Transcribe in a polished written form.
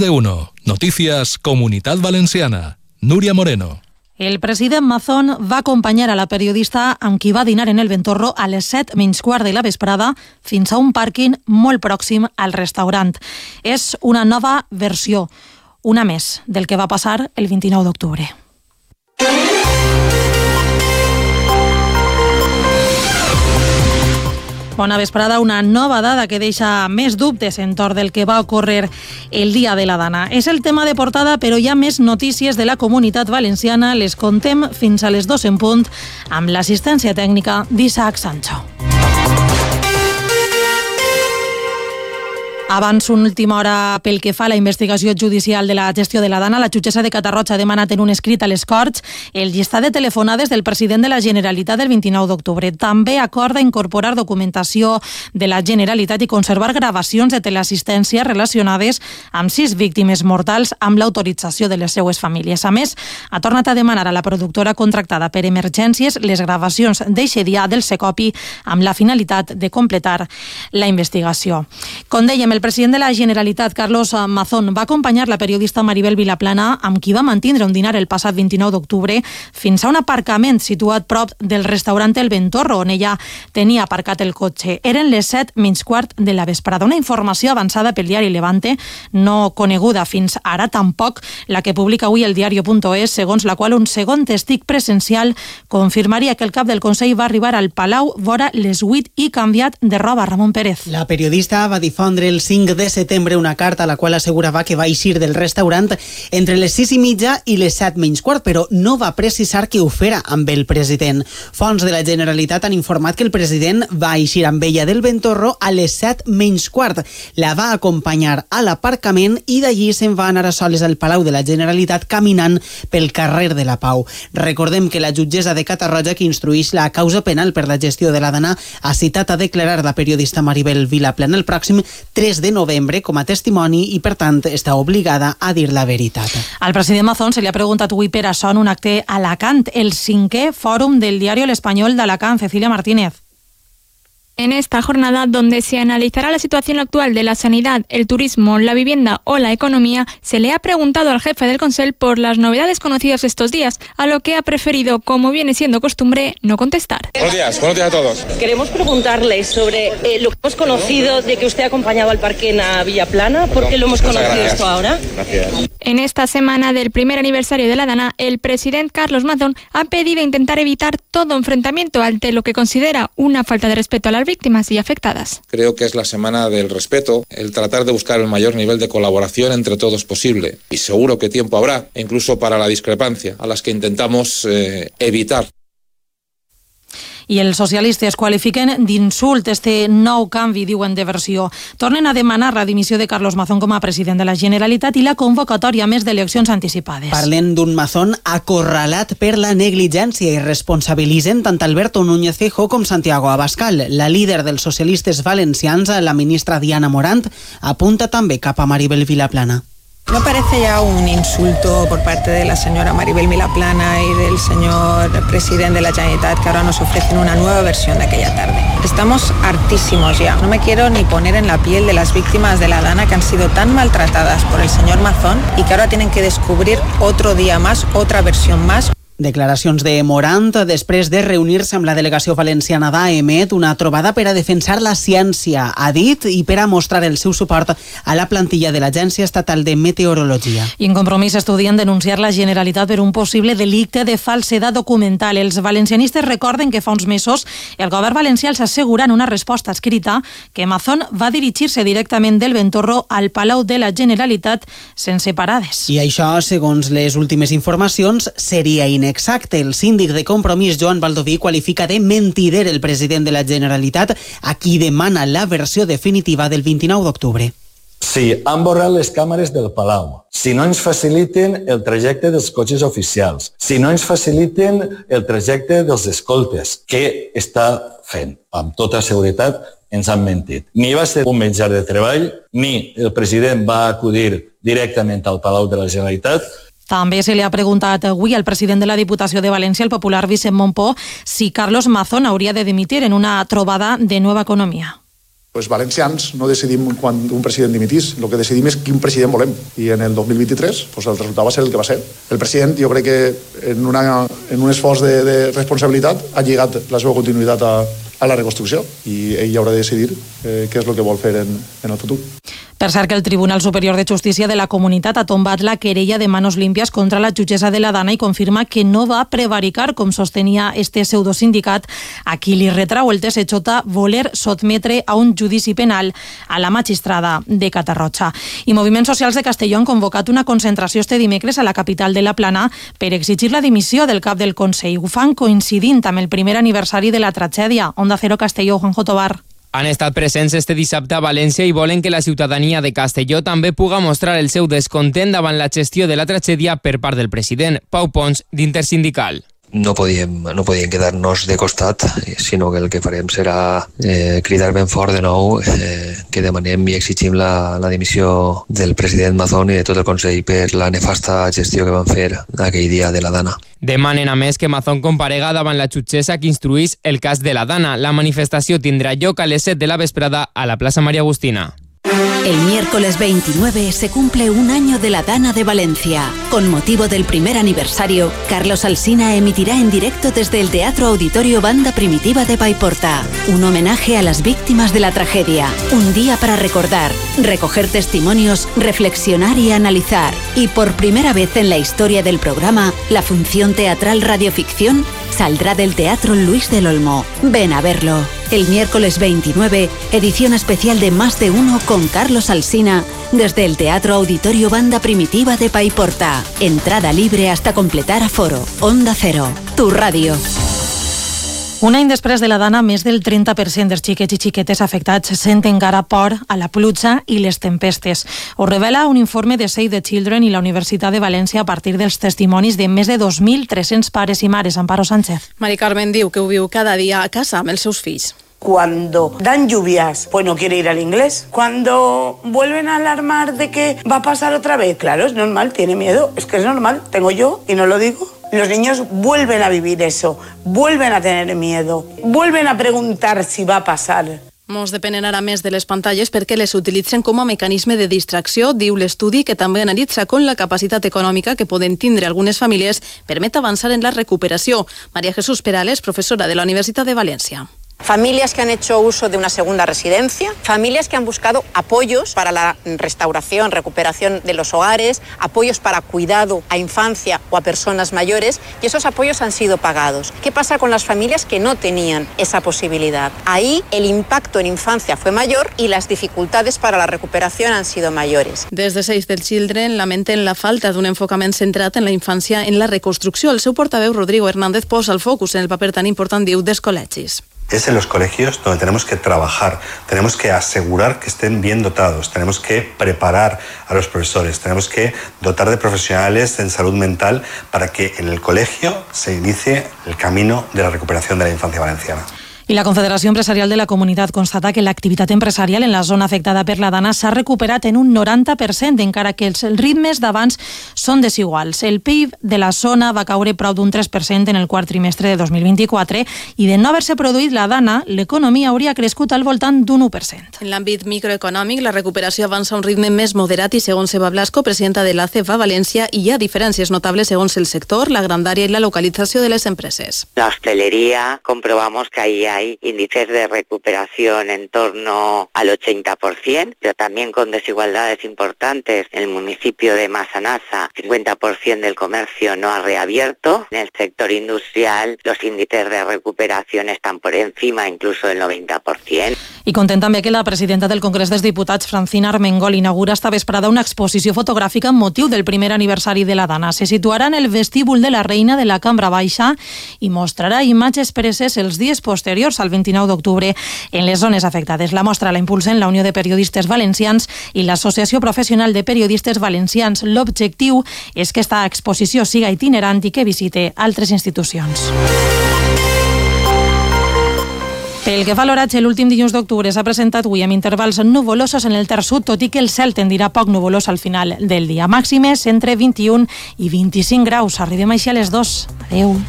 de uno. Noticias Comunitat Valenciana. Núria Moreno. El president Mazón va acompanyar a la periodista amb qui va dinar en el Ventorro a les 7:15 de la vesprada fins a un pàrquing molt pròxim al restaurant. És una nova versió, una més, del que va passar el 29 d'octubre. Bona vesprada, una nova dada que deixa més dubtes entorn del que va ocórrer el dia de la Dana. És el tema de portada, però hi ha més notícies de la Comunitat Valenciana. Les contem fins a les 2 en punt amb l'assistència tècnica d'Isaac Sancho. Abans, una última hora pel que fa a la investigació judicial de la gestió de la Dana, la jutgessa de Catarroja ha demanat en un escrit a les Corts el llistat de telefonades del president de la Generalitat del 29 d'octubre. També acorda incorporar documentació de la Generalitat i conservar gravacions de teleassistència relacionades amb 6 víctimes mortals amb l'autorització de les seues famílies. A més, ha tornat a demanar a la productora contractada per emergències les gravacions d'eixe dia del Secopi amb la finalitat de completar la investigació. Com dèiem, el president de la Generalitat, Carlos Mazón, va acompanyar la periodista Maribel Vilaplana, amb qui va mantindre un dinar el passat 29 d'octubre, fins a un aparcament situat prop del restaurant El Ventorro, on ella tenia aparcat el cotxe. Eren les 7:15 de la vesprada. Una informació avançada pel diari Levante, no coneguda fins ara tampoc la que publica avui el diario.es, segons la qual un segon testig presencial confirmaria que el cap del Consell va arribar al Palau vora les 8 i canviat de roba. Ramon Pérez. La periodista va difondre el 5 de setembre una carta a la qual assegurava que va eixir del restaurant entre les 6:30 i les 7:15, però no va precisar que ho fera amb el president. Fonts de la Generalitat han informat que el president va eixir amb ella del Ventorro a les 7:15. La va acompanyar a l'aparcament i d'allí se'n va anar a soles al Palau de la Generalitat caminant pel carrer de la Pau. Recordem que la jutgessa de Catarroja, que instruïx la causa penal per la gestió de la Dana, ha citat a declarar la periodista Maribel Vilaplana el pròxim 3 de novembre com a testimoni i, per tant, està obligada a dir la veritat. Al president Mazón se li ha preguntat avui per això en un acte a Alacant, el 5è fòrum del diario El Español d'Alacant. Cecilia Martínez. En esta jornada, donde se analizará la situación actual de la sanidad, el turismo, la vivienda o la economía, se le ha preguntado al jefe del Consell por las novedades conocidas estos días, a lo que ha preferido, como viene siendo costumbre, no contestar. Buenos días a todos. Queremos preguntarle sobre lo que hemos conocido de que usted ha acompañado al parquén a Villaplana. ¿Por qué lo hemos conocido esto ahora? Gracias. En esta semana del primer aniversario de la Dana, el presidente Carlos Mazón ha pedido intentar evitar todo enfrentamiento ante lo que considera una falta de respeto a las víctimas y afectadas. Creo que es la semana del respeto, el tratar de buscar el mayor nivel de colaboración entre todos posible. Y seguro que tiempo habrá, incluso para la discrepancia, a las que intentamos evitar. I els socialistes qualifiquen d'insult este nou canvi, diuen, de versió. Tornen a demanar la dimissió de Carlos Mazón com a president de la Generalitat i la convocatòria més d'eleccions anticipades. Parlen d'un Mazón acorralat per la negligència i responsabilitzen tant Alberto Núñez Feijóo com Santiago Abascal. La líder dels socialistes valencians, la ministra Diana Morant, apunta també cap a Maribel Vilaplana. ¿No parece ya un insulto por parte de la señora Maribel Vilaplana y del señor presidente de la Generalitat que ahora nos ofrecen una nueva versión de aquella tarde? Estamos hartísimos ya. No me quiero ni poner en la piel de las víctimas de la Dana que han sido tan maltratadas por el señor Mazón y que ahora tienen que descubrir otro día más, otra versión más. Declaracions de Morant després de reunir-se amb la delegació valenciana d'AEMET, una trobada per a defensar la ciència, ha dit, i per a mostrar el seu suport a la plantilla de l'Agència Estatal de Meteorologia. I en Compromís estudien denunciar la Generalitat per un possible delicte de falsedat documental. Els valencianistes recorden que fa uns mesos el govern valencià els assegura en una resposta escrita que Mazón va dirigir-se directament del Ventorro al Palau de la Generalitat sense parades. I això, segons les últimes informacions, seria inexacte. El síndic de Compromís, Joan Baldoví, qualifica de mentider el president de la Generalitat, a qui demana la versió definitiva del 29 d'octubre. Si han borrat les càmeres del Palau, si no ens faciliten el trajecte dels cotxes oficials, si no ens faciliten el trajecte dels escoltes, què està fent? Amb tota seguretat ens han mentit. Ni va ser un menjar de treball, ni el president va acudir directament al Palau de la Generalitat. També se li ha preguntat avui al president de la Diputació de València, el popular Vicent Montpó, si Carlos Mazón hauria de dimitir en una trobada de Nueva Economia. Els valencians no decidim quan un president dimitís, el que decidim és quin president volem. I en el 2023 el resultat va ser el que va ser. El president, jo crec que en un esforç de responsabilitat ha lligat la seva continuïtat a la reconstrucció i ell haurà de decidir què és el que vol fer en el futur. Per cert que el Tribunal Superior de Justícia de la Comunitat ha tombat la querella de manos limpias contra la jutgessa de la Dana i confirma que no va prevaricar, com sostenia este pseudosindicat, a qui li retrau el TSJ voler sotmetre a un judici penal a la magistrada de Catarroja. I moviments socials de Castelló han convocat una concentració este dimecres a la capital de la Plana per exigir la dimissió del cap del Consell. Ho fan coincidint amb el primer aniversari de la tragèdia. Onda Cero Castelló, Juanjo Tobar. Han estat presents este dissabte a València i volen que la ciutadania de Castelló també puga mostrar el seu descontent davant la gestió de la tragèdia per part del president. Pau Pons, d'Intersindical. No podíem quedar-nos de costat, sinó que el que farem serà cridar ben fort de nou que demanem i exigim la dimissió del president Mazón i de tot el Consell per la nefasta gestió que van fer aquell dia de la Dana. Demanen a més que Mazón comparega davant la jutgessa que instruís el cas de la Dana. La manifestació tindrà lloc a les 7 de la vesprada a la plaça María Agustina. El miércoles 29 se cumple un año de la Dana de Valencia. Con motivo del primer aniversario, Carlos Alsina emitirá en directo desde el Teatro Auditorio Banda Primitiva de Paiporta un homenaje a las víctimas de la tragedia. Un día para recordar, recoger testimonios, reflexionar y analizar. Y por primera vez en la historia del programa, la función teatral Radioficción saldrá del Teatro Luis del Olmo. Ven a verlo. El miércoles 29, edición especial de Más de Uno con Carlos Alsina, desde el Teatro Auditorio Banda Primitiva de Paiporta. Entrada libre hasta completar aforo. Onda Cero, tu ràdio. Un any després de la Dana, més del 30% dels xiquets i xiquetes afectats senten encara por a la pluja i les tempestes. Ho revela un informe de Save the Children i la Universitat de València a partir dels testimonis de més de 2.300 pares i mares. Amparo Sánchez. Mari Carmen diu que ho viu cada dia a casa amb els seus fills. Cuando dan lluvias, pues no quiere ir al inglés. Cuando vuelven a alarmar de que va a pasar otra vez, claro, es normal, tiene miedo. Es que es normal, tengo yo y no lo digo. Los niños vuelven a vivir eso, vuelven a tener miedo, vuelven a preguntar si va a pasar. Molts depenen ara més de les pantalles perquè les utilitzen com a mecanisme de distracció, diu l'estudi que també analitza com la capacitat econòmica que poden tindre algunes famílies permet avançar en la recuperació. María Jesús Perales, professora de la Universitat de València. Familias que han hecho uso de una segunda residencia, familias que han buscado apoyos para la restauración, recuperación de los hogares, apoyos para cuidado a infancia o a personas mayores, y esos apoyos han sido pagados. ¿Qué pasa con las familias que no tenían esa posibilidad? Ahí el impacto en infancia fue mayor y las dificultades para la recuperación han sido mayores. Des de Save the Children lamenten la falta d'un enfocament centrat en la infància en la reconstrucció. El seu portaveu, Rodrigo Hernández, posa el focus en el paper tan important, diu, dels col·legis. Es en los colegios donde tenemos que trabajar, tenemos que asegurar que estén bien dotados, tenemos que preparar a los profesores, tenemos que dotar de profesionales en salud mental para que en el colegio se inicie el camino de la recuperación de la infancia valenciana. I la Confederació Empresarial de la Comunitat constata que l'activitat empresarial en la zona afectada per la Dana s'ha recuperat en un 90%, encara que els ritmes d'abans són desiguals. El PIB de la zona va caure prou d'un 3% en el quart trimestre de 2024 i de no haver-se produït la Dana, l'economia hauria crescut al voltant d'un 1%. En l'àmbit microeconòmic, la recuperació avança a un ritme més moderat i, segons Eva Blasco, presidenta de l'ACEF a València, hi ha diferències notables segons el sector, la grandària i la localització de les empreses. La hostelería, comprobamos que ahí hay índices de recuperación en torno al 80%, pero también con desigualdades importantes. En el municipio de Massanassa, 50% del comercio no ha reabierto. En el sector industrial, los índices de recuperación están por encima incluso del 90%. I content també que la presidenta del Congrés dels Diputats, Francina Armengol, inaugura esta vesprada una exposició fotogràfica amb motiu del primer aniversari de la Dana. Se situarà en el vestíbul de la Reina de la Cambra Baixa i mostrarà imatges preses els dies posteriors al 29 d'octubre en les zones afectades. La mostra la impulsen la Unió de Periodistes Valencians i l'Associació Professional de Periodistes Valencians. L'objectiu és que esta exposició siga itinerant i que visite altres institucions. Pel que fa a l'oratge, l'últim dilluns d'octubre s'ha presentat avui amb intervals nuvolosos en el Ter Sud, tot i que el cel tendirà poc nuvolós al final del dia. Màximes entre 21 i 25 graus. Arribem així a les 2. Adéu.